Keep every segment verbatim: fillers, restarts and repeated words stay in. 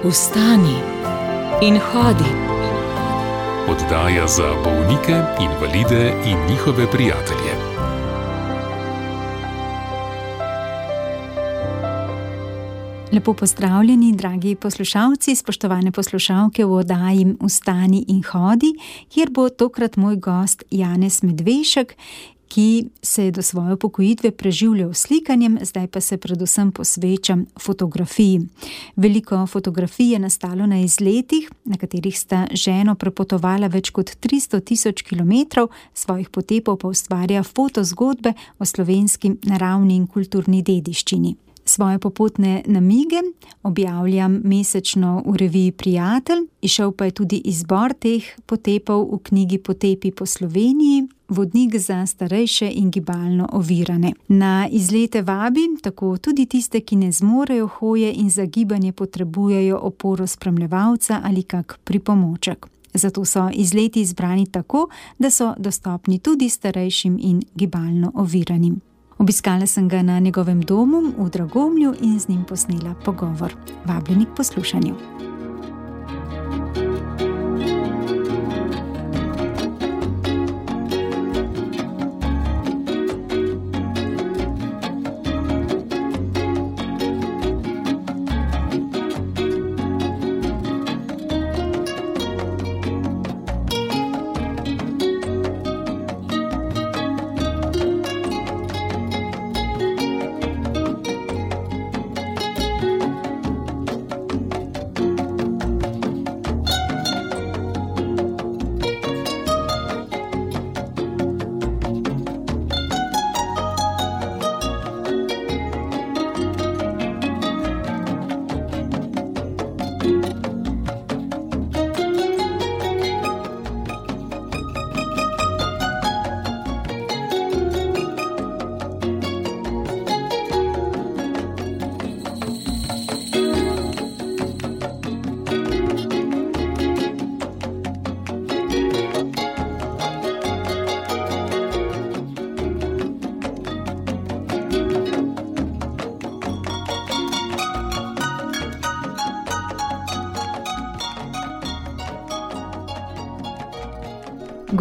Vstani in hodi. Oddaja za bolnike, invalide in njihove prijatelje. Lepo pozdravljeni, dragi poslušalci, spoštovane poslušalke v oddaji Vstani in hodi, kjer bo tokrat moj gost Janez Medvešek, ki se je do svoje upokojitve preživljal s slikanjem, zdaj pa se predvsem posveča fotografiji. Veliko fotografij je nastalo na izletih, na katerih sta ženo prepotovala več kot tristo tisoč kilometrov, svojih potepov pa ustvarja fotozgodbe o slovenski naravni in kulturni dediščini. Svoje popotne namige objavljam mesečno v reviji Prijatelj, izšel pa je tudi izbor teh potepov v knjigi Potepi po Sloveniji, vodnik za starejše in gibalno ovirane. Na izlete vabim tako tudi tiste, ki ne zmorejo hoje in za gibanje potrebujejo oporo spremljevalca ali kak pripomoček. Zato so izleti izbrani tako, da so dostopni tudi starejšim in gibalno oviranim. Obiskala sem ga na njegovem domu v Dragomlju in z njim posnela pogovor. Vabljeni k poslušanju.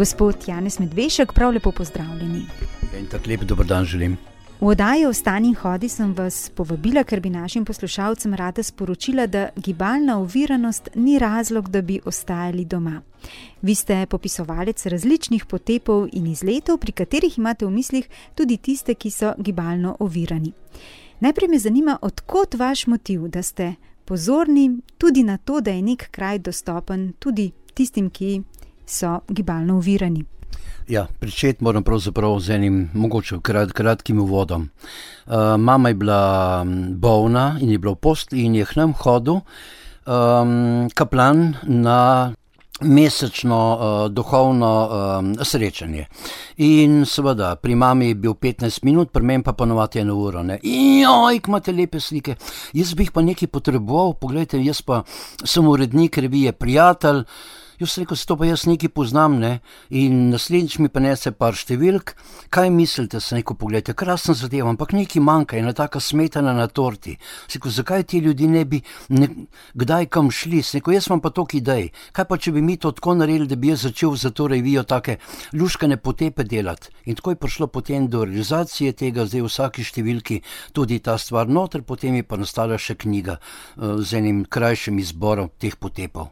Gospod Janez Medvešek, prav lepo pozdravljeni. In tak lep dober dan želim. V oddaji Vstani in hodi sem vas povabila, ker bi našim poslušalcem rada sporočila, da gibalna oviranost ni razlog, da bi ostajali doma. Vi ste popisovalec različnih potepov in izletov, pri katerih imate v mislih tudi tiste, ki so gibalno ovirani. Najprej me zanima, od kod vaš motiv, da ste pozorni tudi na to, da je nek kraj dostopen tudi tistim, ki so gibalno ovirani. Ja, pričeti moram pravzaprav z enim mogoče krat, kratkim uvodom. Uh, mama je bila bolna in je bila v postelji in je k nam hodil um, kaplan na mesečno uh, duhovno um, srečanje. In seveda, pri mami je bil petnajst minut, pri meni pa ponovati eno uro. Ne? Joj, imate lepe slike. Jaz bi jih pa nekaj potreboval, poglejte, jaz pa sem urednik revije Prijatelj. Jaz rekel, se to pa jaz nekaj poznam, ne, in naslednjič mi pa nese par številk, kaj mislite, se neko pogledajte, krasno zadevo, ampak nekaj manjka, ena taka smetana na torti. Se rekel, zakaj ti ljudi ne bi ne, kdaj kam šli, se rekel, jaz imam pa toliko idej, kaj pa če bi mi to tako naredili, da bi jaz začel za to revijo take luškane potepe delati. In tako je prišlo potem do realizacije tega, zdaj v vsaki številki tudi ta stvar noter, potem je pa nastala še knjiga uh, z enim krajšim izborom teh potepov.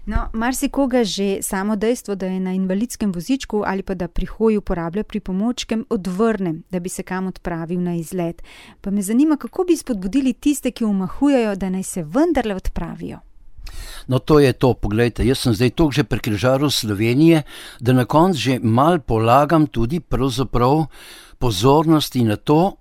No, marsikoga že samo dejstvo, da je na invalidskem vozičku ali pa da pri hoji uporablja pripomočke, odvrne, da bi se kam odpravil na izlet. Pa me zanima, kako bi spodbudili tiste, ki omahujejo, da naj se vendarle odpravijo. No, to je to, poglejte, jaz sem zdaj toliko že prekrižaril Slovenije, da na koncu že mal polagam tudi pravzaprav pozornosti na to,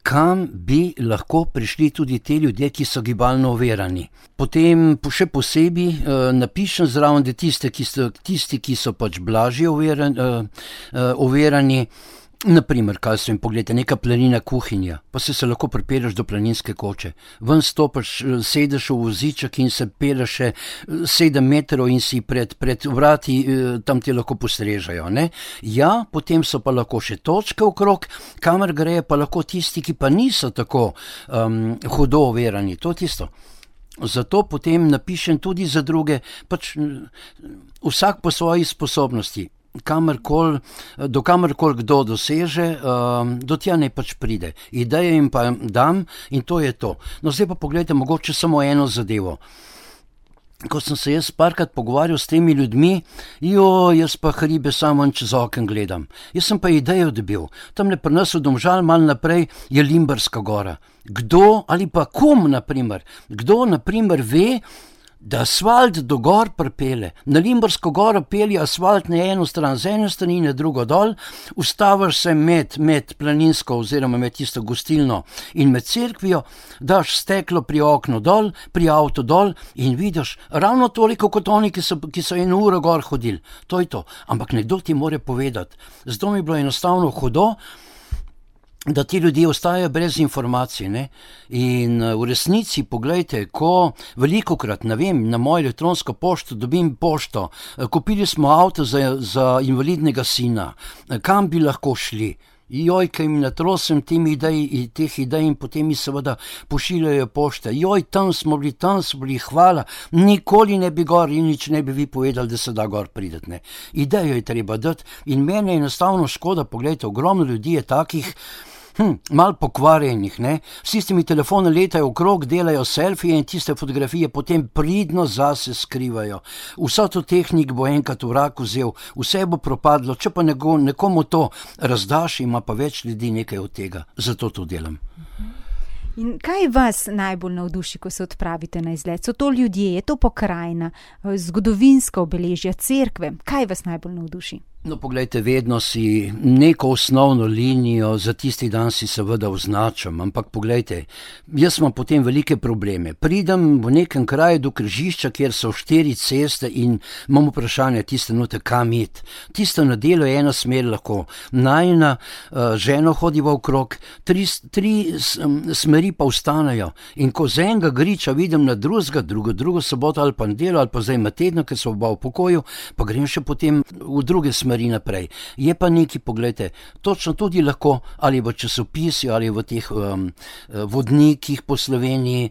kam bi lahko prišli tudi te ljudje, ki so gibalno ovirani. Potem še posebej uh, napišem zraven, da tiste, ki so, tisti, ki so pač blažje ovirani, uh, uh, ovirani, naprimer, kaj so jim, pogledajte, neka planina kuhinja, pa se se lahko pripelješ do planinske koče. Ven stopaš, sedeš v voziček in se pelješ še sedem metrov in si pred, pred vrati, tam ti lahko postrežajo, ne? Ja, potem so pa lahko še točke okrog, kamor grejo pa lahko tisti, ki pa niso tako um, hudo overani, to tisto. Zato potem napišem tudi za druge, pač vsak po svoji sposobnosti. Kamarkoli, do kamarkoli kdo doseže, do tja ne pač pride. Ideje jim pa dam in to je to. No zdaj pa pogledajte mogoče samo eno zadevo. Ko sem se jaz parkrat pogovarjal s temi ljudmi, jo, jaz pa hribe samo čez oken gledam. Jaz sem pa idejo dobil. Tamle pri nas v Domžal malo naprej je Limberska gora. Kdo ali pa kom, naprimer, kdo, naprimer, ve, da asfalt do gor pripelje. Na Limbersko goro pelje asfalt na eno stran, z ene strani na drugo dol, ustaviš se med, med planinsko oziroma med tisto gostilno in med cerkvijo, daš steklo pri oknu dol, pri avto dol in vidiš ravno toliko kot oni, ki so, ki so eno uro gor hodili. To je to. Ampak nekdo ti more povedati. Zato mi je bilo enostavno hudo, da ti ljudje ostajajo brez informacij, ne? In v resnici, poglejte, ko velikokrat, ne vem, na mojo elektronsko pošto dobim pošto, kupili smo avto za, za invalidnega sina, kam bi lahko šli? Joj, kaj mi natrosem temi idej, teh idej in potem mi seveda pošiljajo pošte. Joj, tam smo bili, tam smo bili, hvala, nikoli ne bi gor in nič ne bi vi povedali, da se da gor prideti, ne? Idejo je treba dati in mene je enostavno škoda, poglejte, ogromno ljudi je takih, Hm, mal pokvarjenih, ne? Vsi s temi telefoni letajo okrog, delajo selfije in tiste fotografije potem pridno zase skrivajo. Vsa to tehnik bo enkrat vrak vzel, vse bo propadlo, če pa nego, nekomu to razdaš, ima pa več ljudi nekaj od tega. Zato to delam. In kaj vas najbolj navduši, ko se odpravite na izlet? So to ljudje, je to pokrajina, zgodovinska obeležja, cerkve? Kaj vas najbolj navduši? No, poglejte, vedno si neko osnovno linijo za tisti dan si seveda označam, ampak poglejte, jaz imam potem velike probleme. Pridem v nekem kraju do križišča, kjer so štiri ceste in imam vprašanje, tiste note, kam iti. Tisto na delo je ena smer lahko. Najina uh, ženo hodiva okrog, tri, tri smeri pa ostanejo. In ko z enega griča vidim na drugega, drugo, drugo soboto ali pa nedelo ali pa zdaj ima tedno, ker so oba v pokoju, pa grem še potem v druge smeri naprej. Je pa neki, poglejte, točno tudi lahko ali v časopisju ali v teh um, vodnikih po Sloveniji,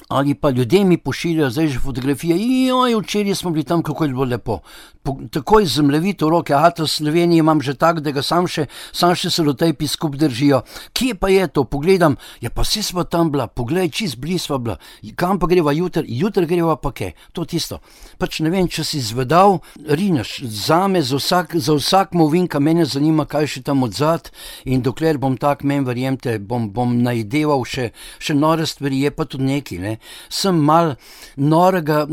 ali pa ljudje mi pošiljajo zdaj že fotografije, joj, včeraj smo bili tam, kako je bilo lepo. Po, takoj zemljevito v roke, a to Sloveniji imam že tak, da ga sam še, sam še selotejpi skup držijo. Kje pa je to? Pogledam, ja pa vsi smo tam bila, poglej, čist blizu sva bila. Kam pa greva jutr? Jutr greva pa kaj? To tisto. Pač ne vem, če si zvedal, rineš, zame, za vsak, za vsak movinka, mene zanima, kaj še tam odzad in dokler bom tak, men verjemte, bom, bom najdeval še, še nore stvari, je pa tudi neki, ne. Sem mal norega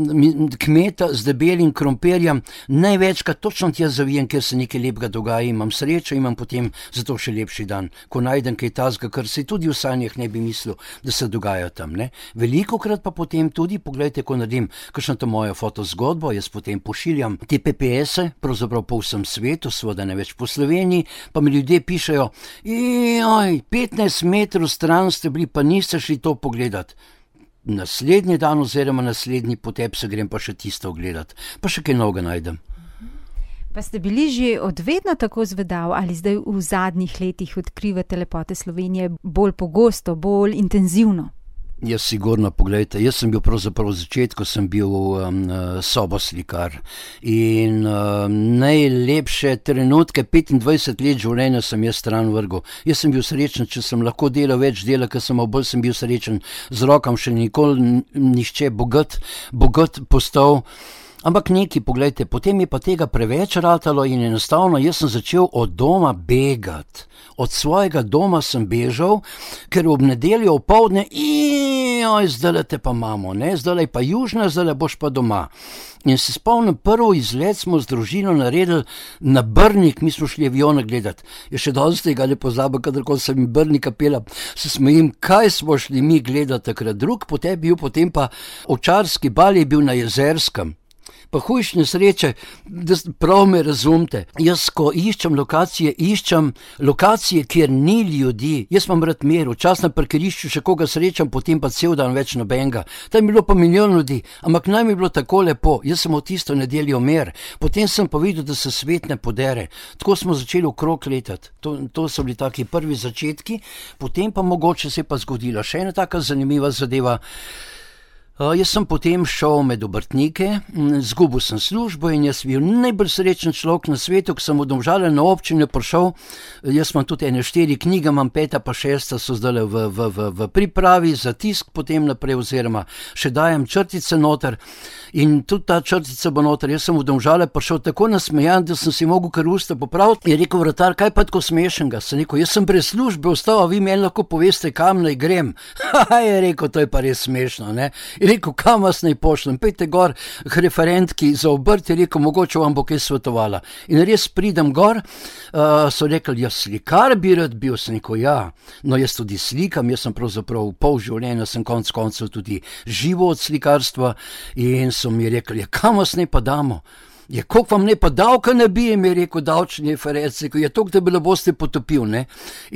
kmeta z debelim krompirjem, največkrat točno tja zavijem, ker se nekaj lepega dogaja, imam srečo, imam potem zato še lepši dan, ko najdem kaj tazga, kar se tudi v sanjah ne bi mislil, da se dogaja tam, ne. Velikokrat pa potem tudi, poglejte, ko naredim kakšno to mojo fotozgodbo, jaz potem pošiljam te P P S-e, pravzaprav po vsem svetu, seveda ne več po Sloveniji, pa mi ljudje pišejo, joj, petnajst metrov stran ste bili, pa niste šli to pogledat. Naslednji dan oziroma naslednji potep se grem pa še tisto ogledati, pa še kaj novega najdem. Pa ste bili že od vedno tako zvedav ali zdaj v zadnjih letih odkrivate lepote Slovenije bolj pogosto, bolj intenzivno? Jaz sigurno, poglejte, jaz sem bil pravzaprav v začetku, sem bil um, soboslikar in um, najlepše trenutke, petindvajset let življenja sem jaz stran vrgel. Jaz sem bil srečen, če sem lahko delal več dela, ker sem bolj sem bil srečen z rokam, še nikoli nišče bogat, bogat postal. Ampak neki, poglejte, potem je pa tega preveč ratalo in enostavno jaz sem začel od doma begati. Od svojega doma sem bežal, ker ob nedeljo opoldne, joj, zdaj te pa imamo, ne, zdaj pa južna, zdaj boš pa doma. In se spomnim, prvo izlet smo z družino naredili na Brnik, mi smo šli avione gledati. Je še danes tega ne pozabim, kadarkoli sem jim Brnika pela, se smejim, kaj smo šli mi gledati takrat. Drug potem bil, potem pa Ovčarski bal je bil na Jezerskem. Pa hujš nesreče, da prav me razumete. Jaz, ko iščem lokacije, iščem lokacije, kjer ni ljudi. Jaz imam rad mir, včasih na parkirišču še koga srečam, potem pa cel dan več nobenega. Tam je bilo pa milijon ljudi, ampak naj mi je bilo tako lepo. Jaz sem v tisto nedeljo mir. Potem sem pa videl, da se svet ne podere. Tako smo začeli okrog letati. To, to so bili taki prvi začetki, potem pa mogoče se je pa zgodila še ena taka zanimiva zadeva. Uh, jaz sem potem šel med obrtnike, zgubil sem službo in jaz bil najbolj srečen človek na svetu, ko sem v Domžale na občine prišel. Jaz imam tudi ene štiri knjige, imam peta pa šesta so zdaj v, v, v, v pripravi za tisk potem naprej oziroma še dajem črtice noter in tudi ta črtica bo noter. Jaz sem v Domžale prišel tako nasmejan, da sem si mogel kar usta popraviti. Je rekel vratar, kaj pa tako smešnega? Sem rekel, jaz sem brez službe ostal, a vi meni lahko poveste, kam naj grem. Ha, je rekel, to je pa res smešno, ne? Je rekel, kam vas naj pošljem, pejte gor k referentki za obrt, je rekel, mogoče vam bo kaj svetovala. In res pridem gor, uh, so rekli, jaz slikar bi rad bil, sem rekel, ja, no jaz tudi slikam, jaz sem pravzaprav pol življenja, sem konc koncev tudi živo od slikarstva in so mi rekli, ja, kam vas naj pa damo? Je, koliko vam ne pa davka nabijem, je rekel davčni referenc, je to, da bi le boste potopil, ne.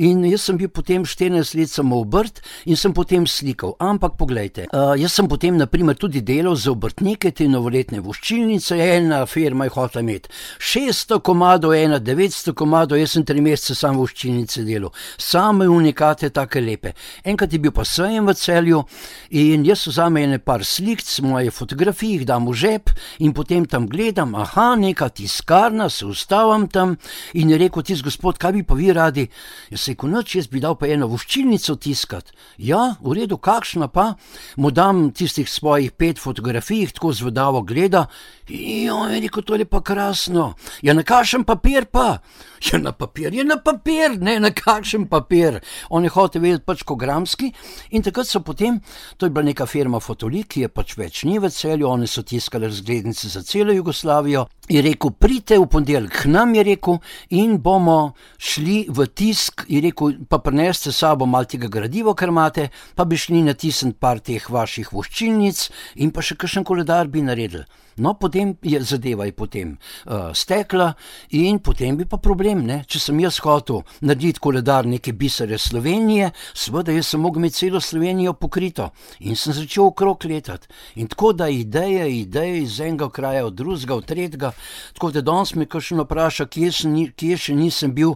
In jaz sem bil potem štirinajst let samo obrt in sem potem slikal. Ampak poglejte, uh, jaz sem potem naprimer tudi delal za obrtnike, te novoletne voščilnice, ena firma je hotela imeti šeststo komadov, ena devetsto komadov, jaz sem tri mesece sam voščilnice delal. Same unikate, take lepe. Enkrat je bil pa sejem v Celju in jaz vzamem ene par slik, moje fotografije, jih dam v žep in potem tam gledam, aha, neka tiskarna, se ustavim tam in je rekel, tis gospod, kaj bi pa vi radi? Jaz rekel, noč, jaz bi dal pa eno voščilnico tiskat. Ja, v redu, kakšna pa? Mu dam tistih svojih pet fotografij, tako zvedavo gleda. Jo, je rekel, to je pa krasno. Ja, na kakšen papir pa? Ja, na papir, je na papir, ne, na kakšen papir. On je hotel vedeti pač kogramski in takrat so potem, to je bila neka firma Fotolik, ki je pač več ni v Celju, oni so tiskali razglednice za celo Jugoslavijo. Je rekel, pridite v ponedeljek k nam, je rekel, in bomo šli v tisk, je rekel, pa prineste s sabo malo tega gradiva, kar imate, pa bi šli natisniti par teh vaših voščilnic in pa še kakšen koledar bi naredili. No, potem je zadeva je potem uh, stekla in potem bi pa problem, ne, če sem jaz hotel narediti koledar neke bisere Slovenije, seveda jaz sem mogel imeti celo Slovenijo pokrito in sem začel okrog letati. In tako da ideje, ideje iz enega kraja, od drugega, od tretjega, tako da danes me kakšen vpraša, kje, kje še nisem bil,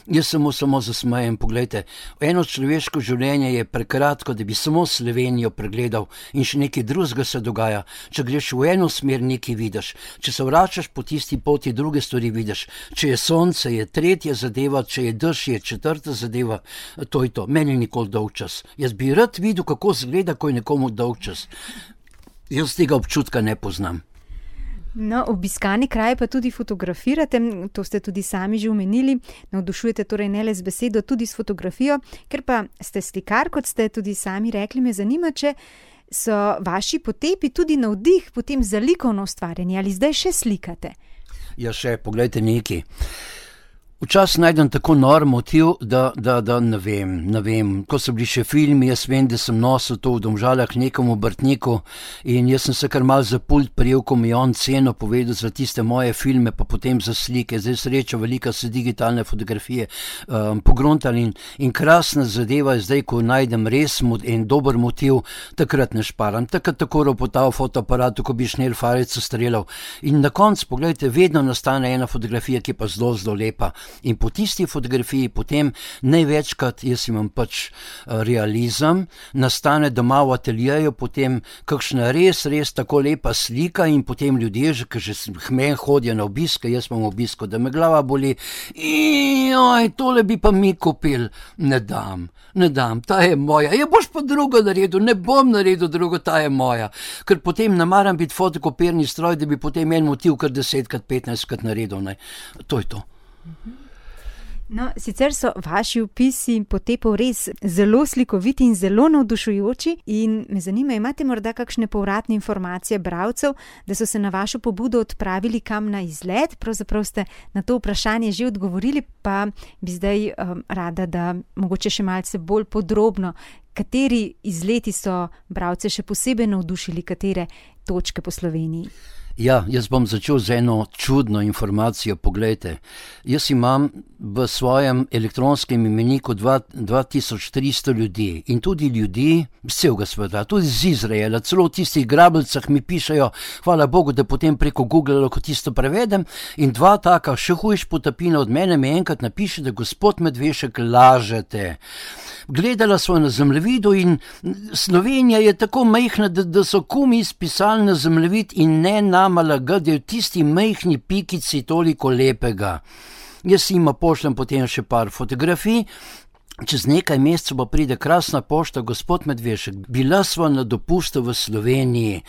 jaz samo samo zasmejem. Poglejte, eno človeško življenje je prekratko, da bi samo Slovenijo pregledal in še nekaj drugega se dogaja. Če greš v eno smer, nekaj vidiš. Če se vračaš po tisti poti, druge stvari vidiš. Če je sonce, je tretja zadeva, če je dež, je četrta zadeva. To je to. Meni je nikoli dolg čas. Jaz bi rad videl, kako izgleda, ko je nekomu dolg čas. Jaz tega občutka ne poznam. No, obiskani kraj pa tudi fotografirate, to ste tudi sami že omenili, navdušujete torej ne le z besedo, tudi s fotografijo, ker pa ste slikar, kot ste tudi sami rekli, me zanima, če so vaši potepi tudi navdih potem za likovno ustvarjanje, ali zdaj še slikate? Ja, še, poglejte nekaj. Včasih najdem tako nor motiv, da, da, da ne vem, ne vem, ko so bili še filmi, jaz vem, da sem nosil to v Domžalah nekomu obrtniku in jaz sem se kar mal za pult prijel, ko mi je on ceno povedal za tiste moje filme, pa potem za slike, zdaj sreča velika se digitalne fotografije um, pogruntali in, in krasna zadeva je zdaj, ko najdem res en dober motiv, takrat ne šparam, takrat tako ropotal fotoaparatu, ko bi šnel farico streljal in na koncu, pogledajte, vedno nastane ena fotografija, ki je pa zelo, zelo lepa. In po tisti fotografiji potem največkrat, jaz imam pač realizem, nastane doma v ateljeju potem kakšna res, res tako lepa slika in potem ljudje, ki že hmen hodijo na obiske, jaz imam obisko, da me glava boli, joj, tole bi pa mi kupil, ne dam, ne dam, ta je moja, je boš pa drugo naredil, ne bom naredil drugo, ta je moja, ker potem ne maram biti fotokopirni stroj, da bi potem en motiv kar desetkrat, petnajstkrat naredil, ne, to je to. No, sicer so vaši opisi potepov res zelo slikoviti in zelo navdušujoči in me zanima, imate morda kakšne povratne informacije bralcev, da so se na vašo pobudo odpravili kam na izlet, pravzaprav ste na to vprašanje že odgovorili, pa bi zdaj um, rada, da mogoče še malce bolj podrobno, kateri izleti so bralce še posebej navdušili, katere točke po Sloveniji? Ja, jaz bom začel z eno čudno informacijo, poglejte. Jaz imam v svojem elektronskem imeniku dva tisoč tristo ljudi in tudi ljudi z celega sveta, tudi z Izraela, celo v tistih grabljicah mi pišejo, hvala Bogu, da potem preko Google lahko tisto prevedem in dva taka še hujš potapina od mene mi enkrat napiše, da gospod Medvešek lažete. gledala sva na zemljevidu in Slovenija je tako majhna, da, da so kumi spisali na zemljevid in ne nama lagati, da je v tisti majhni pikici toliko lepega. Jaz jima pošljem potem še par fotografij. Čez nekaj mesecev pa pride krasna pošta, gospod Medvešek, bila sva na dopustu v Sloveniji.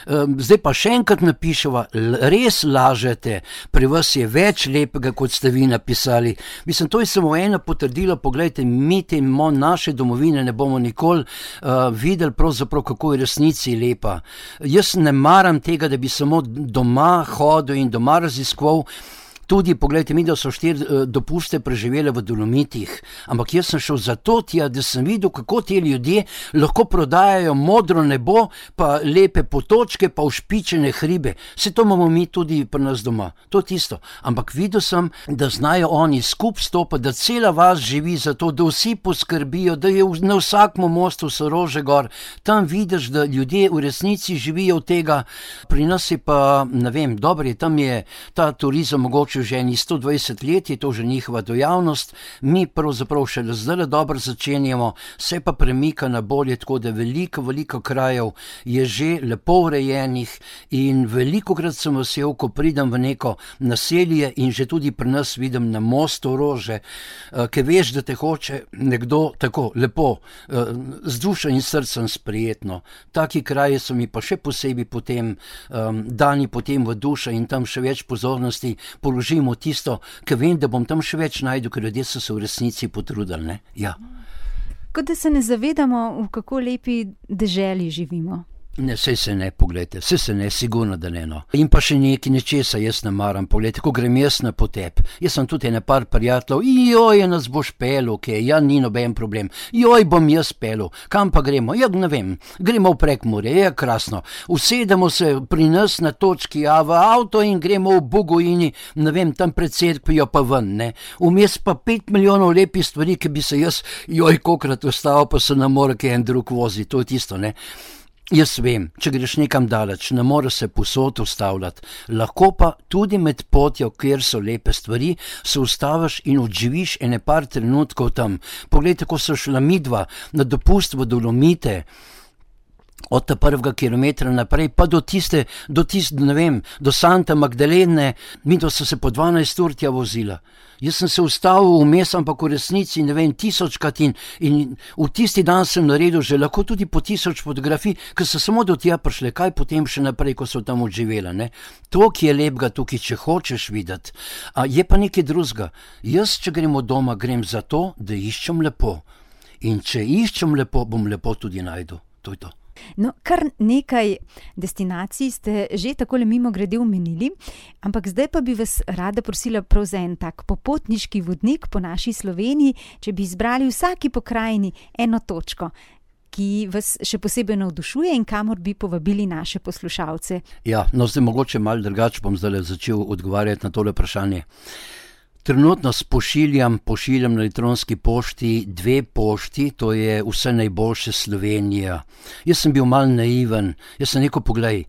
Zdaj pa še enkrat napiševa, res lažete, pri vas je več lepega, kot ste vi napisali. Mislim, to je samo ena potrdila, poglejte, mi temo naše domovine ne bomo nikoli uh, videli pravzaprav, kako je resnici lepa. Jaz ne maram tega, da bi samo doma hodil in doma raziskoval. Tudi, poglejte, mi da so štiri uh, dopuste preživele v Dolomitih, ampak jaz sem šel zato tja, da sem videl, kako ti ljudje lahko prodajajo modro nebo, pa lepe potočke, pa ušpičene hribe. Vse to imamo mi tudi pri nas doma, to je tisto. Ampak videl sem, da znajo oni skup stopati, da cela vas živi za to, da vsi poskrbijo, da je na vsakmu mostu so rože gor. Tam vidiš, da ljudje v resnici živijo od tega. Pri nas je pa, ne vem, dobro je, tam je ta turizem mogoče že eni sto dvajset let, je to že njihova dejavnost, mi pravzaprav še zdaj dobro začenjamo, se pa premika na bolje, tako da veliko, veliko krajev je že lepo urejenih in velikokrat sem vesel, ko pridem v neko naselje in že tudi pri nas vidim na mostu rože, ki veš, da te hoče nekdo tako lepo, z dušo in srcem sprijetno. Taki kraji so mi pa še posebej potem um, dani potem v dušo in tam še več pozornosti položimo tisto, ker vem, da bom tam še več najdel, ker ljudje so se v resnici potrudili, ne? Ja. Kot da se ne zavedamo, v kako lepi deželi živimo. Ne, sej se ne, pogledajte, sej se ne, sigurno, da ne, no. In pa še nekaj nečesa jaz ne maram, pogledajte, ko grem jaz na potep, jaz sem tudi ene par prijateljev, joj, nas boš pelil, ok, ja, ni noben problem, joj, bom jaz pelil, kam pa gremo, ja, ne vem, gremo v Prekmurje, je krasno, usedemo se pri nas na točki A v avto in gremo v Bugojini, ne vem, tam pred cerkvijo pa ven, ne, vmes pa pet milijonov lepih stvari, ki bi se jaz, joj, kokrat ostal, pa se ne more kaj en drug vozi, to je tisto, ne. Jaz vem, če greš nekam daleč, ne moreš se povsod ustavljati, lahko pa tudi med potjo, kjer so lepe stvari, se ustaviš in odživiš ene par trenutkov tam. Poglejte, ko so šla midva na dopust v Dolomite, od ta prvega kilometra naprej, pa do tiste, do tiste, ne vem, do Santa Magdalene, midva so se po dvanajst ur tja vozila. Jaz sem se ustavil vmes, ampak v resnici, ne vem, tisočkrat in, in v tisti dan sem naredil že lahko tudi po tisoč fotografij, ker so samo do tja prišle, kaj potem še naprej, ko so tam odživela, ne. To, ki je lepega tukaj, če hočeš videti. A je pa nekaj drugega. Jaz, če grem od doma, grem zato, da iščem lepo. In če iščem lepo, bom lepo tudi najdel. To je to. No, kar nekaj destinacij ste že takole mimogrede omenili, ampak zdaj pa bi vas rada prosila prav za en tak popotniški vodnik po naši Sloveniji, če bi izbrali vsaki pokrajini eno točko, ki vas še posebej navdušuje in kamor bi povabili naše poslušalce. Ja, no zdaj mogoče malo drugače bom zdaj začel odgovarjati na tole vprašanje. Trenutno pošiljam, pošiljam na elektronski pošti dve pošti, to je Vse najboljše Slovenija. Jaz sem bil malo naiven, jaz sem rekel, poglej,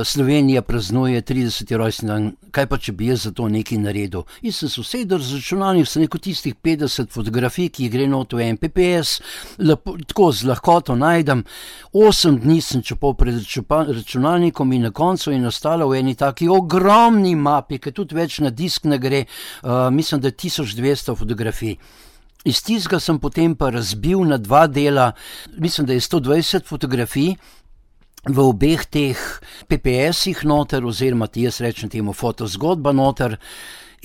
Slovenija praznuje trideseti rojstni dan, kaj pa če bi jaz za to nekaj naredil. Jaz sem se usedel z računalnikom, sem rekel tistih petdeset fotografij, ki jih gre not v en pe pe es, lepo, tako z lahkoto najdem, osem dni sem čepal pred računalnikom in na koncu je nastala v eni taki ogromni mapi, ki tudi več na disk ne gre, uh, mislim, da je tisoč dvesto fotografij. Iz tistega sem potem pa razbil na dva dela, mislim, da je sto dvajset fotografij v obeh teh pe pe esih noter, oziroma ti jaz rečem temu fotozgodba noter.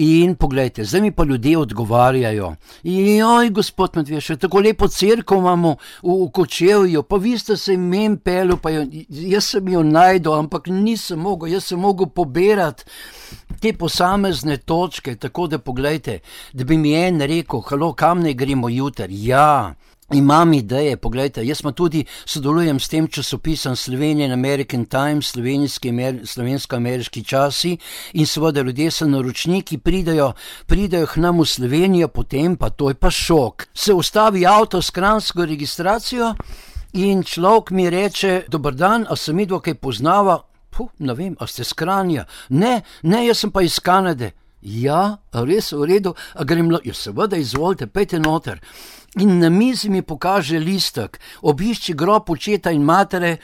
In poglejte, zdaj mi pa ljudje odgovarjajo. Joj, gospod Medvešek, tako lepo cerkev imamo v, v Kočevju, pa vi ste se imen pelil, pa jo, jaz sem jo najdel, ampak nisem mogel, jaz sem mogel pobirati te posamezne točke, tako da poglejte, da bi mi en rekel, halo, kam ne gremo jutri? Ja, imam ideje, poglejte, jaz pa tudi sodelujem s tem časopisom Slovenian American Times, slovensko-ameriški časi in seveda ljudje so naročniki, pridajo, pridajo k nam v Slovenijo, potem pa to je pa šok. Se ustavi avto s kranjsko registracijo in človek mi reče, dober dan, a se midva kaj poznava? Puh, ne vem, a ste s Kranja? Ne, ne, jaz sem pa iz Kanade. Ja, res v redu, a grem, ja seveda izvolite, pejte noter. In na mizi mi pokaže listek, obišči grob očeta in matere.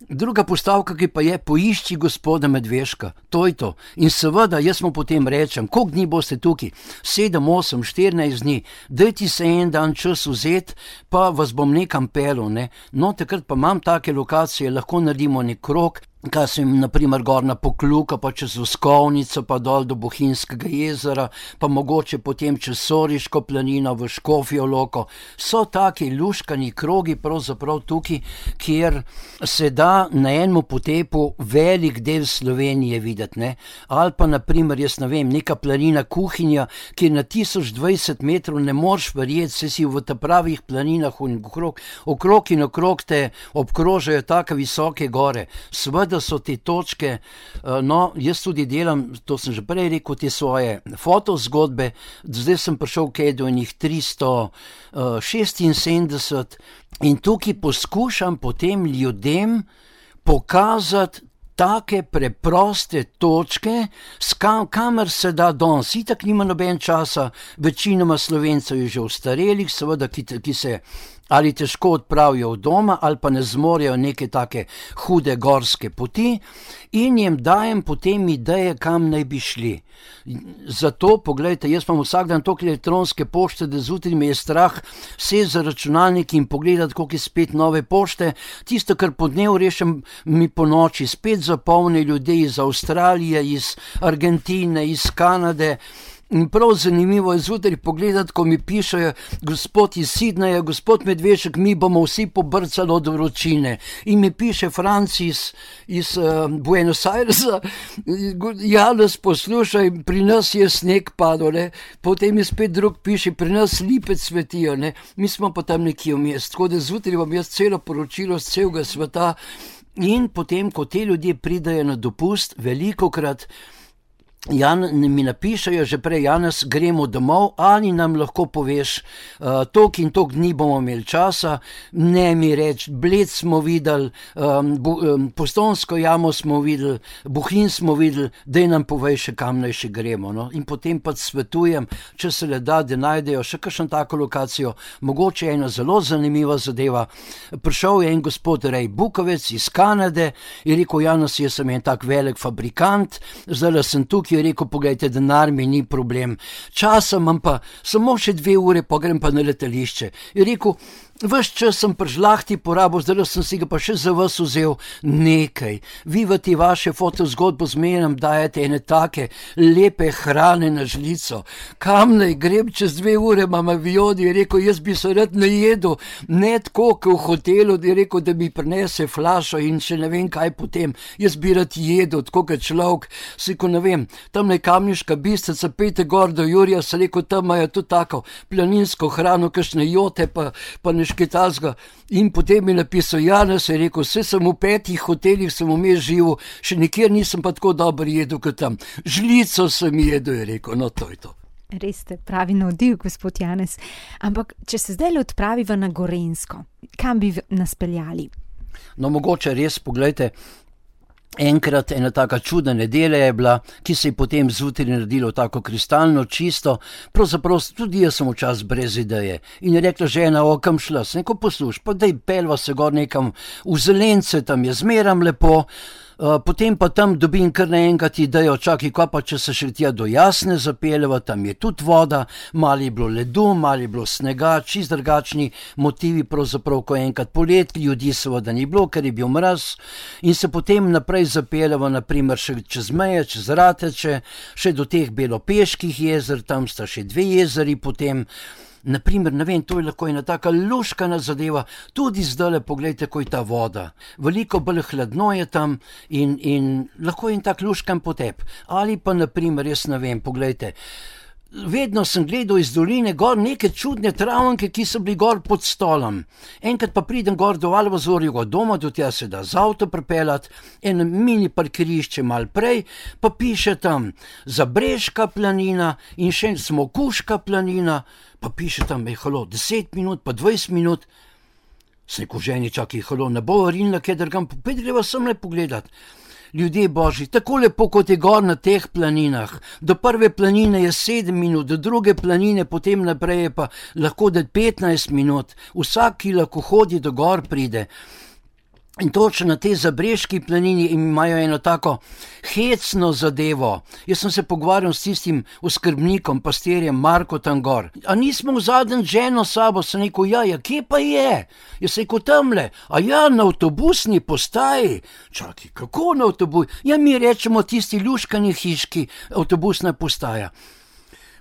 Druga postavka, ki pa je, poišči gospoda Medveška, to je to. In seveda, jaz mu potem rečem, koliko dni boste tukaj? Sedem, osem, štirinajst dni, dajte se en dan čas vzeti, pa vas bom nekam pelil, ne. No, takrat pa imam take lokacije, lahko naredimo nek krog, kaj sem naprimer gor na Pokluka, pa čez Uskovnico, pa dol do Bohinjskega jezera, pa mogoče potem čez Soriško planino v Škofjo Loko. So taki luškani krogi pravzaprav tukaj, kjer se da na enem potepu velik del Slovenije videti, ne. Ali pa naprimer, jaz ne vem, neka planina Kuhinja, ki je na tisoč dvajset metrov, ne moreš verjeti, se si v ta pravih planinah in okrog, okrog in okrog te obkrožajo take visoke gore. Sveda da so te točke, no, jaz tudi delam, to sem že prej rekel, te svoje fotozgodbe, zdaj sem prišel kaj do enih tristo šestinsedemdeset in tukaj poskušam potem ljudem pokazati take preproste točke, kam, kamer se da danes. Itak nima noben časa, večinoma Slovencev je že ostarelih, seveda, ki, ki se ali težko odpravijo od doma, ali pa ne zmorejo neke take hude gorske poti in jim dajem potem ideje, kam naj bi šli. Zato, poglejte, jaz imam vsak dan toliko elektronske pošte, da zjutraj me je strah sesti za računalnik in pogledati, koliko je spet nove pošte. Tisto, kar po dnevu rešim, mi po noči spet zapolni ljudje iz Avstralije, iz Argentine, iz Kanade. In prav zanimivo je zjutraj pogledati, ko mi pišejo, gospod iz Sidneja, gospod Medvešek, mi bomo vsi pobrcali od vročine. In mi piše Franci iz, iz uh, Buenos Airesa, Janez, poslušaj, pri nas je sneg padel, ne. Potem mi spet drug piše, pri nas lipe cvetijo, ne. Mi smo pa tam nekje vmes, tako da zjutraj vam jaz celo poročilo z celega sveta. In potem, ko te ljudje pridajo na dopust, velikokrat Jan, mi napišajo že prej, Janez, gremo domov, ali nam lahko poveš, uh, tok in tok dni bomo imeli časa, ne mi reči, Bled smo videli, um, bu, um, Postojnsko jamo smo videli, Bohinj smo videli, daj nam povej še, kam naj še gremo. No? In potem pa svetujem, če se le da, da najdejo še kakšno tako lokacijo, mogoče ena zelo zanimiva zadeva. Prišel je en gospod Rej Bukovec iz Kanade, je rekel, Janez, jaz sem en tak velik fabrikant, zdaj sem tukaj, je rekel, pogledajte, denar mi ni problem, časa imam pa samo še dve ure, pa grem pa na letališče. Je rekel, ves čas sem pri žlahti porabil, zdaj sem si ga pa še za vas vzel nekaj. Vi v te vaše fotozgodbo zmeraj dajete ene take lepe hrane na žlico. Kam naj grem, čez dve ure imam avion, je rekel, jaz bi se rad najedel, ne tako, kot v hotelu, je rekel, da mi prinese flašo in še ne vem kaj potem. Jaz bi rad jedel, tako kot človek, si ko ne vem, tam je Kamniška Bistrica, pejte gor do Jurija, se rekel, tam imajo tudi tako planinsko hrano, kakšne jote, pa, pa ne šketazga. In potem mi napisal, Janez, je rekel, vse sem v petih hotelih, sem vmes živel, še nikjer nisem pa tako dobro jedel kot tam. Žlico sem jedel, je rekel, no to je to. Res ste pravi navdih, gospod Janez. Ampak, če se zdaj le odpraviva na Gorenjsko, kam bi nas peljali? No, mogoče res, pogledajte, enkrat ena taka čudna nedelja je bila, ki se je potem zjutraj naredilo tako kristalno čisto, pravzaprav tudi jaz sem včasih brez ideje. In je rekla žena, o, kam šla, sem rekel, posluš, pa daj pelva se gor nekam v Zelence, tam je zmeram lepo, Uh, potem pa tam dobim kar naenkrat idejo, čakaj, kaj pa če se še tja do Jasne zapeljeva, tam je tudi voda, malo je bilo ledu, malo je bilo snega, čist drugačni motivi, pravzaprav ko enkrat polet, ljudi seveda ni bilo, ker je bil mraz, in se potem naprej zapeljeva, naprimer še čez meje, čez Rateče, še do teh Belopeških jezer, tam sta še dve jezeri potem. Naprimer, ne vem, to je lahko ena taka luškana zadeva, tudi zdajle, poglejte, ko je ta voda. Veliko bolj hladno je tam in, in lahko je en tak luškan potep. Ali pa, naprimer, jaz ne vem, poglejte, vedno sem gledal iz doline gor neke čudne travnke, ki so bili gor pod stolom. Enkrat pa pridem gor do Alvazorjega doma, do tja se da z avto pripeljati, en mini parkirišče mal prej, pa piše tam Zabreška planina in še Smokuška planina, pa piše tam, je halo, deset minut, pa dvajset minut. Sem rekel ženi, čakaj, halo, ne bo rinila, kje drgam, popet greva sem le pogledat. Ljudje božji, tako lepo kot je gor na teh planinah. Do prve planine je sedem minut, do druge planine, potem naprej je pa lahko da petnajst minut. Vsak, ki lahko hodi do gor, pride. In točno na tej Zabrežki planini imajo eno tako hecno zadevo. Jaz sem se pogovarjal s tistim oskrbnikom, pastirjem Marko tam gor. A nismo v zadnjem ženo sabo, sem rekel, ja, ja, kje pa je? Jaz sem rekel, tamle, a ja, na avtobusni postaji. Čakaj, kako na avtobus? Ja, mi rečemo tisti luškani hiški avtobusna postaja.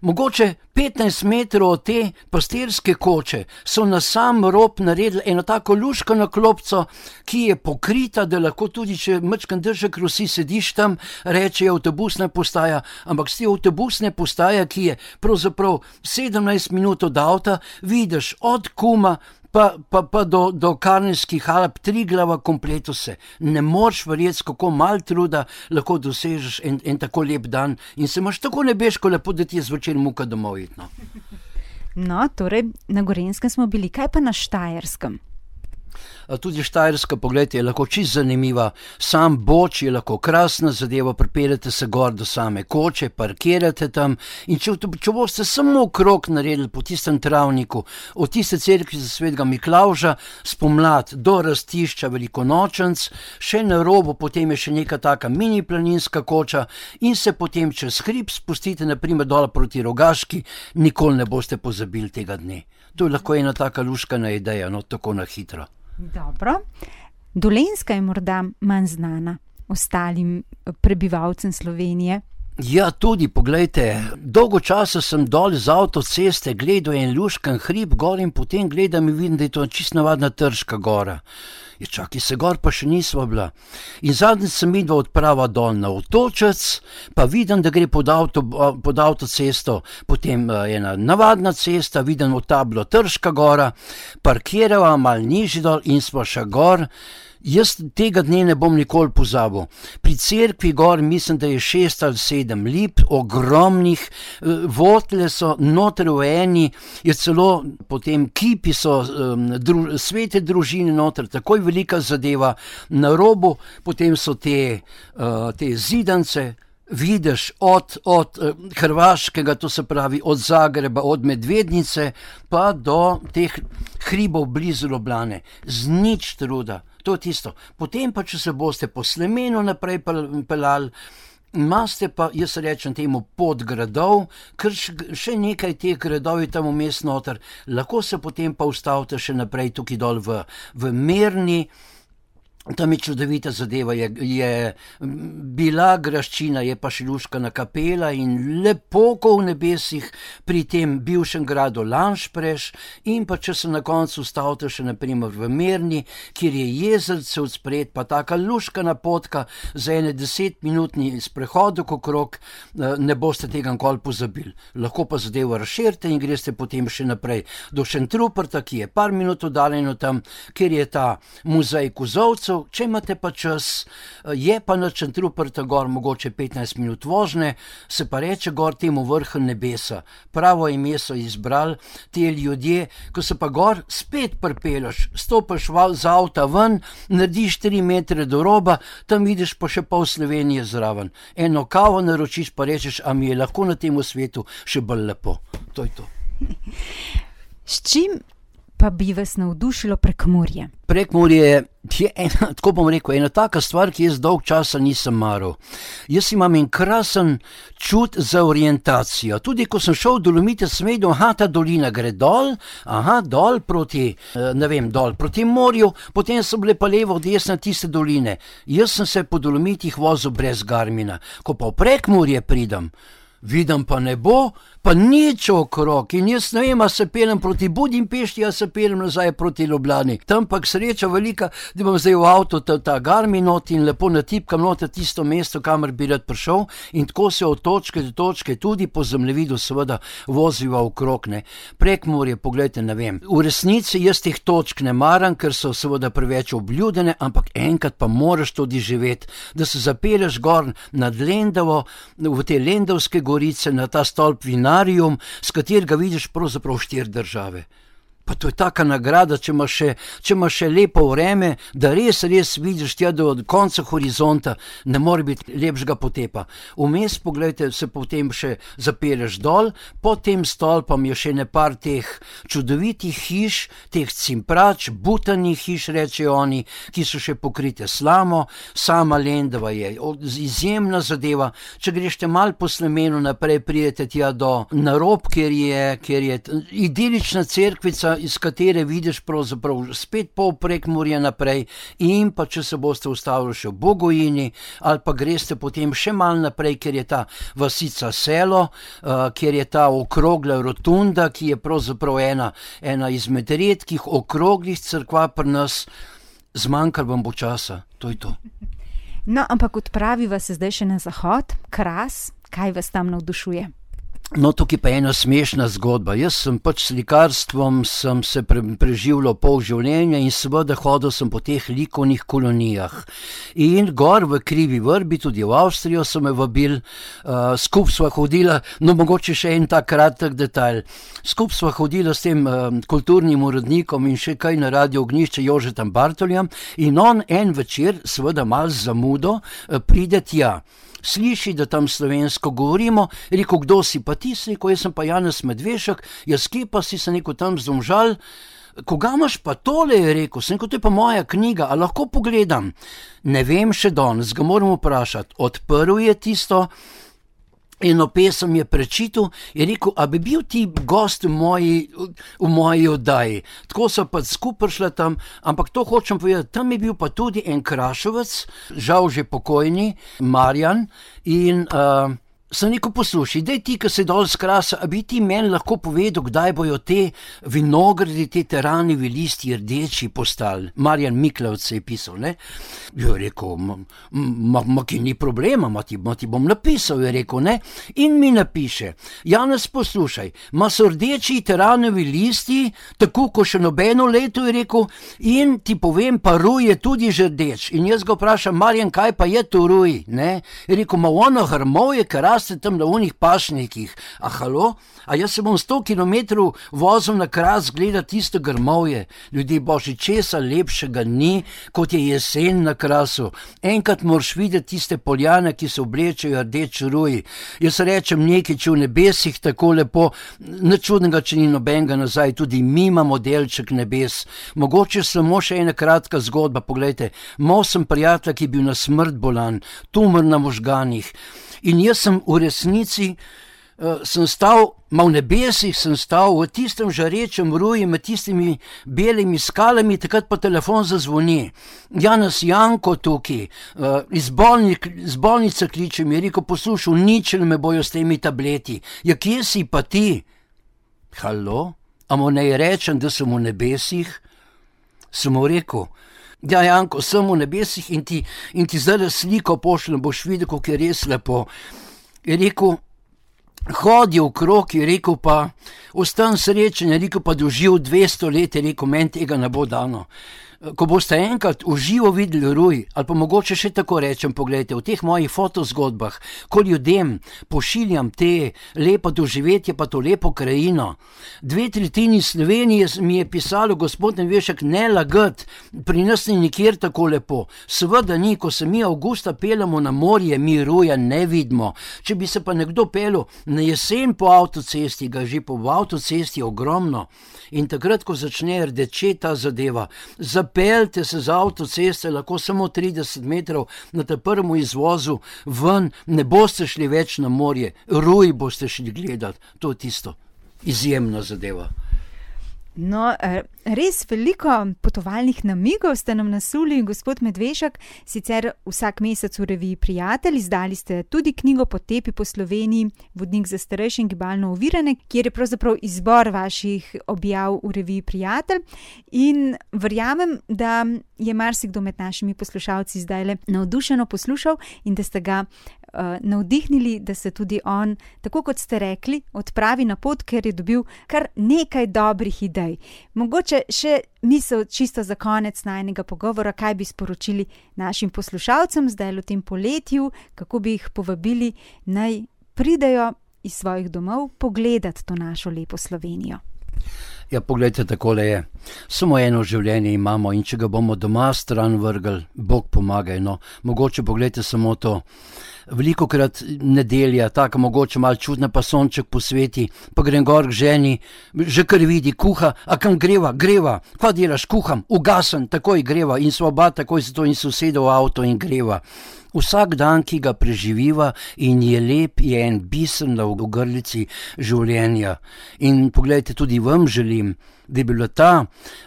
Mogoče petnajst metrov od te pastirske koče so na sam rob naredili eno tako luškano klopco, ki je pokrita, da lahko tudi, če majčkeno držek rosi, sediš tam, reče avtobusna postaja, ampak s te avtobusne postaje, ki je pravzaprav sedemnajst minut od avta, vidiš od Kuma pa, pa, pa do, do Karnskih Alp, Triglava, kompleto se. Ne moreš verjeti, kako malo truda lahko dosežeš en, en tako lep dan in se imaš tako nebeško lepo, da ti je zvečer muka domov iti. No. No, torej, na Gorenjskem smo bili, kaj pa na Štajerskem? Tudi Štajerska, pogledajte, je lahko čisto zanimiva. Sam Boč je lahko krasna zadeva, pripeljete se gor do same koče, parkirate tam in če, če boste samo krog naredili po tistem travniku, od tiste cerkvi za svetega Miklavža, spomlad do rastišča Velikonočenc, še na robu, potem je še neka taka mini planinska koča in se potem čez hrib spustite, naprimer dol proti Rogaški, nikoli ne boste pozabili tega dne. To je lahko ena taka luškana ideja, no, tako na hitro. Dobro. Dolenjska je morda manj znana ostalim prebivalcem Slovenije. Ja, tudi, poglejte, dolgo časa sem dol z avtoceste gledal en luškan hrib gor in potem gledam in vidim, da je to čisto navadna Trška gora. Je čakaj, se gor pa še nisva bila. In zadnjič sem videl odprava dol na Otočec, pa vidim, da gre pod, avto, pod avtocesto, potem ena navadna cesta, vidim od tablo Trška gora, parkirava mal nižji dol in sva še gor. Jaz tega dne ne bom nikoli pozabil. Pri cerkvi gor mislim, da je šest ali sedem lip, ogromnih, votle so, noter v eni, je celo potem kipi so, um, dru, svete družine noter, takoj velika zadeva, na robu potem so te, uh, te zidance, vidiš od, od uh, Hrvaškega, to se pravi od Zagreba, od Medvednice, pa do teh hribov blizu Ljubljane, z nič truda. To je tisto. Potem pa, če se boste po Slemenu naprej pelali, imate pa, jaz rečem temu, pod gradov, ker še nekaj teh gradov je tam vmes noter, lahko se potem pa ustavite še naprej tukaj dol v, v Mirni. Tam je čudovita zadeva, je, je bila graščina, je pa še luškana kapela in lepo ko v nebesih pri tem bivšem gradu Lanšpreš in pa če se na koncu ustavite še naprimer v Mirni, kjer je jezerce odspred, pa taka luškana potka za ene desetminutni sprehod okrog, ne boste tega nikoli pozabili. Lahko pa zadevo razširite in greste potem še naprej do Šentruperta, ki je par minut oddaljeno tam, kjer je ta muzej kozolcev. Če imate pa čas, je pa na Šentruperta gor mogoče petnajst minut vožnje, se pa reče gor temu vrhu nebesa. Pravo ime so izbrali ti ljudje, ko se pa gor spet pripeljaš, stopiš z avta ven, narediš tri metre do roba, tam vidiš pa še pol Slovenije zraven. Eno kavo naročiš pa rečeš, a mi je lahko na tem svetu še bolj lepo. To je to. S čim pa bi vas navdušilo Prekmurje? Prekmurje je ena, tako bom rekel, ena taka stvar, ki jaz dolg časa nisem maral. Jaz imam en krasen čut za orientacijo. Tudi ko sem šel v Dolomite, sem vedel, aha, ta dolina gre dol, aha, dol proti, ne vem, dol proti morju, potem so bile pa levo od desna tiste doline. Jaz sem se po Dolomitih vozil brez Garmina. Ko pa v Prekmurje pridem, vidim pa nebo, pa nič okrog in jaz ne vem, a se peljem proti Budimpešti, a se peljem nazaj proti Ljubljani. Tam pa sreča velika, da imam zdaj v avto ta, ta Garmin not in lepo natipkam noter tisto mesto, kamor bi rad prišel in tako se od točke do točke tudi po zemljevidu seveda voziva okrog, ne. Prekmurje, pogledajte, ne vem. V resnici jaz teh točk ne maram, ker so seveda preveč obljudene, ampak enkrat pa moraš tudi živeti, da se zapelješ gor nad Lendavo, v te Lendavske gorice, na ta stolp Vinarium, s katerega vidiš pravzaprav štiri države. Pa to je taka nagrada, če imaš še, če imaš še lepo vreme, da res, res vidiš tja do konca horizonta, ne more biti lepšega potepa. Vmes, pogledajte, se potem še zapelješ dol, pod tem stolpom je še nepar teh čudovitih hiš, teh cimprač, butanih hiš, rečejo oni, ki so še pokrite slamo, sama Lendava je izjemna zadeva. Če greš te mal po Slemenu naprej, pridete tja do narob, kjer je, kjer je idilična cerkvica, iz katere vidiš pravzaprav spet pol Prekmurja naprej, in pa če se boste ustavili še v Bogojini, ali pa greste potem še mal naprej, kjer je ta vasica Selo, uh, kjer je ta okrogla rotunda, ki je pravzaprav ena, ena izmed redkih okroglih cerkva pri nas. Zmanjkalo vam bo časa, to je to. No, ampak odpraviva se zdaj še na zahod, Kras, kaj vas tam navdušuje? No, tukaj pa je ena smešna zgodba. Jaz sem pač slikarstvom sem se pre, preživljal pol življenja in seveda hodil sem po teh likovnih kolonijah. In gor v Krivi Vrbi, tudi v Avstrijo so me vabili, uh, skup sva hodila, no mogoče še en tak kratek detajl. Skup sva hodila s tem uh, kulturnim urednikom in še kaj na Radio Ognjišče Jožetom Bartoljem in on en večer, seveda malo z zamudo, uh, pride tja. Sliši, da tam slovensko govorimo, rekel, kdo si pa ti, rekel, jaz sem pa Janez Medvešek, jaz kje pa si se neko tam z Domžal, koga imaš pa tole, je rekel, sem rekel, to je pa moja knjiga, a lahko pogledam? Ne vem še danes, ga moram vprašati, odprl je tisto, eno pesem je prečital, je rekel, a bi bil ti gost v moji, v moji oddaji. Tako so pa skupaj prišla tam, ampak to hočem povedati, tam je bil pa tudi en Krašovec, žal že pokojni, Marjan, in uh, sem rekel, poslušaj, daj ti, ki se dol z Krasa, a bi ti meni lahko povedal, kdaj bojo te vinogradi, te teranivi listi rdeči postali. Marjan Miklavc se je pisal, ne? Je rekel, ma, ma, ma ki ni problema, ma ti, ma ti bom napisal, je rekel, ne? In mi napiše, Janez, poslušaj, ma so rdeči teranivi listi, tako ko še nobeno leto, je rekel, in ti povem, pa ruj je tudi že rdeč. In jaz ga vprašam, Marjan, kaj pa je to ruj, ne? Je rekel, ma ono hrmovje, kar ste tam na unih pašnikih, a halo, a jaz se bom sto kilometrov vozil na Kras gledati tisto grmovje, ljudje božji, česa lepšega ni, kot je jesen na Krasu. Enkrat moraš videti tiste poljane, ki se oblečejo rdeč ruj. Jaz rečem nekaj, če v nebesih tako lepo, nič čudnega, če ni nobenega nazaj, tudi mi imamo delček nebes. Mogoče samo še ena kratka zgodba, poglejte, imel sem prijatelja, ki je bil na smrt bolan, tumor na možganih. In jaz sem v resnici, uh, sem stal, ma v nebesih sem stal, v tistem žarečem ruji, med tistimi belimi skalami, takrat pa telefon zazvoni. Janez Janko tukaj, uh, iz, bolnik, iz bolnice kliče mi, je rekel, poslušal, uničili me bojo s temi tableti. Ja, kje si pa ti? Halo? A mu ne rečem, da sem v nebesih? Sem mu rekel, ja, Janko, sem v nebesih in ti, in ti zdaj sliko pošljem, boš videl, kako je res lepo. Je rekel, hodi v krog, je rekel pa, ostan srečen, je rekel pa, doživ dvesto let, je rekel, meni tega ne bo dano. Ko boste enkrat v živo videli ruj, ali pa mogoče še tako rečem, pogledajte, v teh mojih fotozgodbah, ko ljudem pošiljam te lepo doživetje, pa to lepo krajino. Dve tretjini Slovenije mi je pisalo, gospod Medvešek, ne lagat, pri nas ni nikjer tako lepo. Seveda ni, ko se mi avgusta peljamo na morje, mi ruja ne vidimo. Če bi se pa nekdo peljal na jesen po avtocesti, ga že po avtocesti ogromno. In takrat, ko začne rdeče ta zadeva, zapeljte se z avtoceste, lahko samo trideset metrov na ta prvem izvozu ven, ne boste šli več na morje, ruj boste šli gledati, to je tisto, izjemna zadeva. No, res veliko potovalnih namigov ste nam nasuli, gospod Medvešek, sicer vsak mesec v reviji Prijatelj, izdali ste tudi knjigo Potepi po Sloveniji, vodnik za starejše in gibalno ovirane, kjer je pravzaprav izbor vaših objav v reviji Prijatelj in verjamem, da je marsikdo med našimi poslušalci zdajle navdušeno poslušal in da ste ga Uh, navdihnili, da se tudi on, tako kot ste rekli, odpravi na pot, ker je dobil kar nekaj dobrih idej. Mogoče še misel čisto za konec najnega pogovora, kaj bi sporočili našim poslušalcem zdaj v tem poletju, kako bi jih povabili, naj pridejo iz svojih domov pogledati to našo lepo Slovenijo. Ja, poglejte, takole je. Samo eno življenje imamo in če ga bomo doma stran vrgli, Bog pomagaj, no. Mogoče poglejte samo to. Velikokrat nedelja, taka mogoče malo čudna, pa sonček posveti, pa grem gor k ženi, že kar vidi, kuha, a kam greva, greva, kva delaš, kuham, ugasen, takoj greva in sva oba takoj se to in soseda v avto in greva. Vsak dan, ki ga preživiva in je lep, je en biser na ogrlici življenja. In poglejte, tudi vam želim, da bi bila ta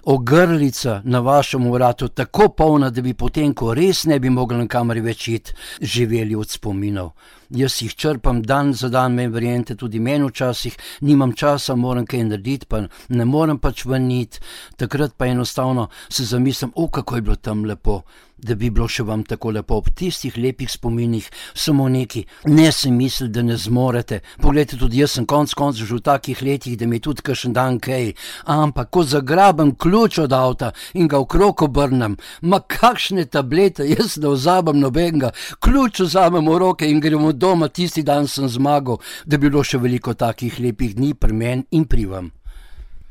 ogrlica na vašem vratu tako polna, da bi potem, ko res ne bi mogli nikamor več iti, živeli od spominov. Jaz jih črpam dan za dan, me verjente, tudi meni včasih, nimam časa, moram kaj narediti, pa ne morem pač ven iti. Takrat pa enostavno se zamislim, o, kako je bilo tam lepo, da bi bilo še vam tako lepo ob tistih lepih spominih, samo neki. Ne se misli, da ne zmorete. Poglejte, tudi jaz sem konc konc že v takih letih, da mi je tudi kakšen dan kaj. Ampak, ko zagrabem ključ od avta in ga okrog obrnem, ma kakšne tablete, jaz ne vzamem nobenega, ključ vzamem v roke in gremo doma, tisti dan sem zmagal, da bi bilo še veliko takih lepih dni pri meni in pri vam.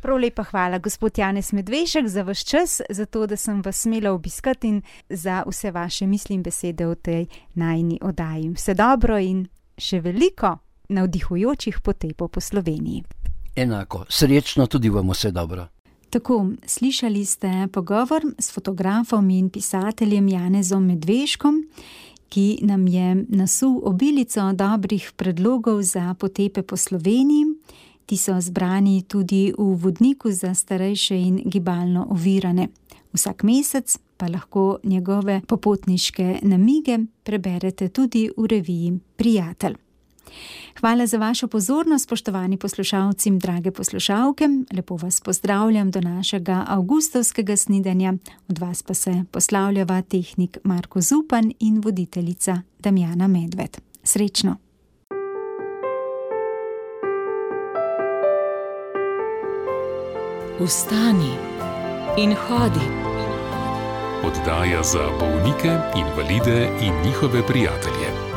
Prav lepa hvala, gospod Janez Medvešek, za vaš čas, za to, da sem vas smela obiskati in za vse vaše misli in besede v tej najini oddaji. Vse dobro in še veliko navdihujočih potepov po Sloveniji. Enako, srečno tudi vam vse dobro. Tako, slišali ste pogovor s fotografom in pisateljem Janezom Medveškom, ki nam je nasul obilico dobrih predlogov za potepe po Sloveniji. Ti so zbrani tudi v vodniku za starejše in gibalno ovirane. Vsak mesec pa lahko njegove popotniške namige preberete tudi v reviji Prijatelj. Hvala za vašo pozornost, spoštovani poslušalci in drage poslušalke. Lepo vas pozdravljam do našega avgustovskega snidanja. Od vas pa se poslavljava tehnik Marko Zupan in voditeljica Damjana Medved. Srečno! Vstani in hodi. Oddaja za bolnike, invalide in njihove prijatelje.